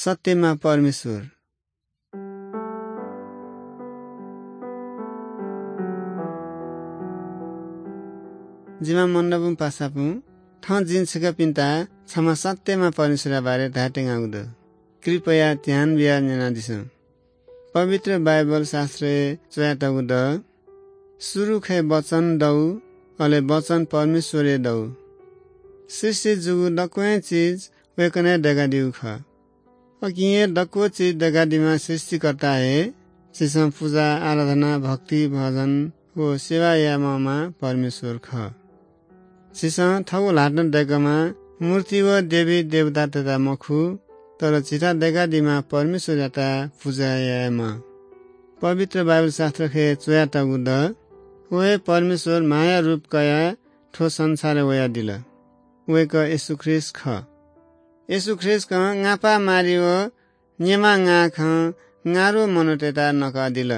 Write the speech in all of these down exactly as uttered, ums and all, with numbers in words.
सत्यमा परमेश्वर। जिमा मण्डपुं पासापुं, थं जिं छिकपिन्त छम्ह सत्यमा परमेश्वरया बारे धायेत्यंगु दु। कृपया ध्यान बियाः न्यनादिसँ। पवित्र बाइबल शास्त्रय् च्वयातःगु दु, सुरुखय् वचन दु, अले वचन परमेश्वर हे दु। सृष्टि जूगु दक्वं चिज वय्कलं दय्कादीगु खः। अकिं हे दक्व चिज दय्कादीम्ह सृष्टिकर्ता हे झीसं पुजा, आराधना, भक्ति, भजन व सेवा यायेमाःम्ह परमेश्वर खः। झीसं थःगु ल्हातं दय्कःम्ह मूर्ति व देवी देवतातय्त मखु, तर झीत दय्कादीम्ह परमेश्वरयात पुजा यायेमाः। पवित्र बाइबल शास्त्रखय् च्वयातःगु दु, व हे परमेश्वर मांया रूप कयाः थ्व संसारय् वयादिल। वय्कः येशू ख्रीष्ट खः। येशू ख्रीष्टं न्हापा मारी व न्यमा न्गाःखं न्गाःरु मनूतय्त नकादिल।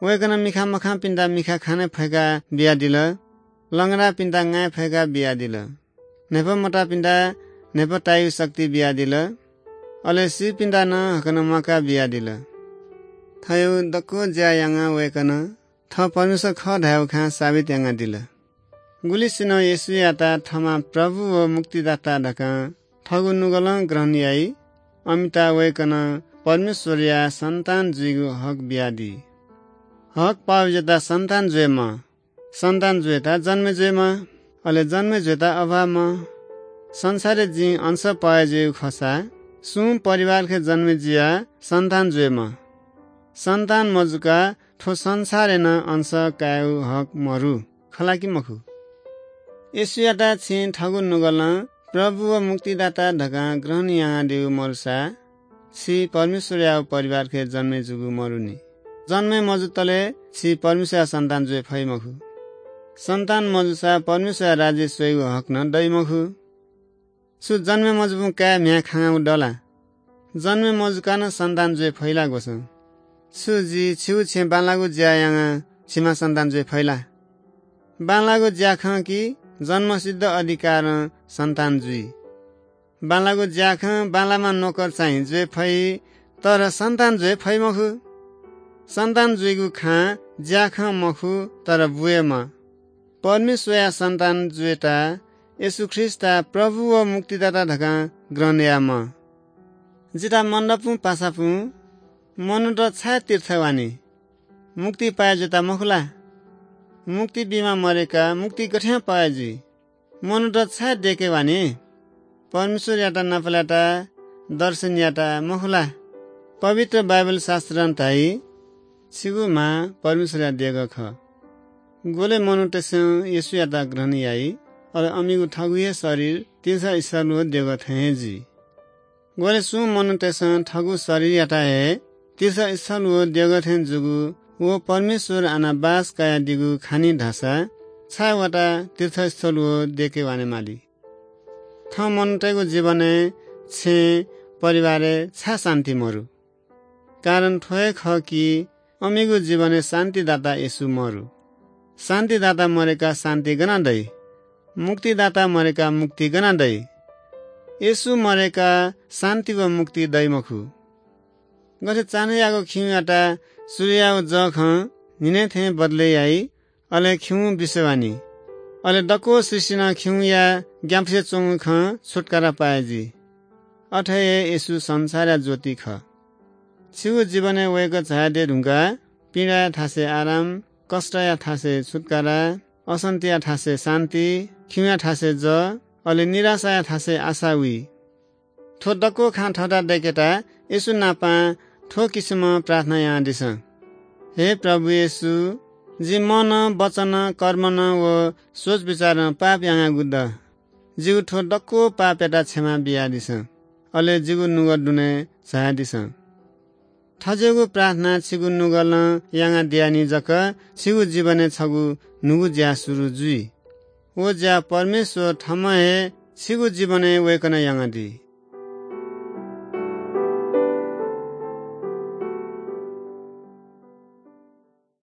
वय्कलं मिखा मखंपिन्त मिखा खने फय्का बियादिल, लंगडापिन्त ङाये फय्का बियादिल, न्हाय्पा मताःपिन्त न्हाय्पा तायेगु शक्ति बियादिल, अले सीपिन्त नं हाकनं म्वाका बियादिल। थज्याःगु दक्व ज्या यानाः वय्कलं थः परमेश्वर खः धायेगु खँ साबित यानादिल। गुलिसिनं येशूयात थःम्हं प्रभु व मुक्तिदाता धकाः थःगु नुगलं ग्रहण याइ, अमित वय्कलं परमेश्वरया सन्तान जुइगु हक बियादी। हक पाःगु जुयात सन्तान जुइमाः, सन्तान जुयात जन्म जुइमाः, अले जन्म जुयात अभाव माः। संसारय् जिं अंश पाः जुइगु खःसा सुं परिवारखे जन्म जुयाः सन्तान जुइमाः। सन्तान मजुकाः थ्व संसारय् नं अंश कायेगु हक मरु, खः ला कि मखु? येशूयात छिं थःगु नुगलं प्रभु व मुक्तिदाता धकाः ग्रहण यानादीगु मरुसा छि परमेश्वरया परिवारखे जन्म जूगु मरुनि। जन्म मजुतले छि परमेश्वरया सन्तान जुइ फइ मखु। सन्तान मजुसा परमेश्वरया राज्य स्वयेगु हक नं दइ मखु। छु जन्म मजुपिं काय् म्ह्याय् खांगागु दु ला? जन्म मजुकाः नं सन्तान जुइ फइ ला ग्वसां? छु जि छिगु छेँय् बांलाःगु ज्या यानाः छिमा सन्तान जुइ फइ ला? बांलाःगु ज्याखं कि जन्मसिद्ध अधिकारं सन्तान जुइ? बांलाःगु ज्याखं बांलाःम्ह नोकर चाहिँ जुइ फइ, तर सन्तान जुइ फइ मखु। सन्तान जुइगु खँ ज्याखं मखु, तर बु हे माः। परमेश्वरया सन्तान जुयेत येशू ख्रीष्टयात प्रभु व मुक्तिदाता धकाः ग्रहण यायेमाः। जितः मण्डपुं पासापुं मनूत छाय् तीर्थ वानी? मुक्ति पाये जुयात मखु ला? मुक्ति बीम्ह मदय्काः मुक्ति गथे पाये जुइ? मनूत छाय् दय्के वानी? परमेश्वरयात नापलायेत, दर्शन यायेत मखु ला? पवित्र बाइबल शास्त्रं धाइ, छिगु म्हा परमेश्वरया देगः खः। ग्वलय् मनूतय्सं येशूयात ग्रहण याइ, अले अमिगु थःगु हे शरीर तीर्थस्थल व देगः थें हे जुइ। ग्वलय् सुं मनूतय्सं थःगु शरीरयात हे तीर्थस्थल व देगः थें जूगु व परमेश्वर आनाः बास कयादीगु खनी धाःसा छाय् वताः तीर्थस्थल व देगः वाने माली? थः मनूतय्गु जीवनय्, छेँय्, परिवारय् छाय् शान्ति मरु? कारण थ्व हे खः कि अमिगु जीवनय् शान्तिदाता येशू मरु। शान्तिदाता मदय्काः शान्ति गनं दइ? मुक्तिदाता मदय्काः मुक्ति गनं दइ? येशू मदय्काः शान्ति व मुक्ति दइ मखु। गथे चान्हयागु खिउँयात सूर्ययागु जःखं न्हिनय् थें बदलय् याइ, अले खिउँ बिस्युं वनी। अले दक्व सृष्टिं नं खिउँया ग्यानापुसे च्वंगु खँ छुत्कारा पाये जुइ। अथे हे येशू संसारया ज्योति खः। छिगु जीवनय् वय्कः झायादी धुंकाः पीडाया थासय् आराम, कष्टया थासय् छुत्कारा, अशान्तिया थासय् शान्ति, खिउँया थासय् जः, अले निराशाया थासय् आशा वइ। थ्व दक्व खँ थःत दय्केत येशू नाप थ्व किसिमं प्रार्थना यानादिसँ। हे प्रभु येशू, जि मनं, वचनं, कर्मनं व सोच बिचारं पाप यानागु दु। जिगु थ्व दक्व पापयात क्षमा बियादिसँ। अले जिगु नुगः दुने झायादिसँ। थज्याःगु प्रार्थना छिगु नुगलं यानादियानि जक छिगु जीवनय् छगू न्हूगु ज्या सुरु जुइ। व ज्या परमेश्वर थःम्हं हे छिगु जीवनय् वय्कलं यानादी।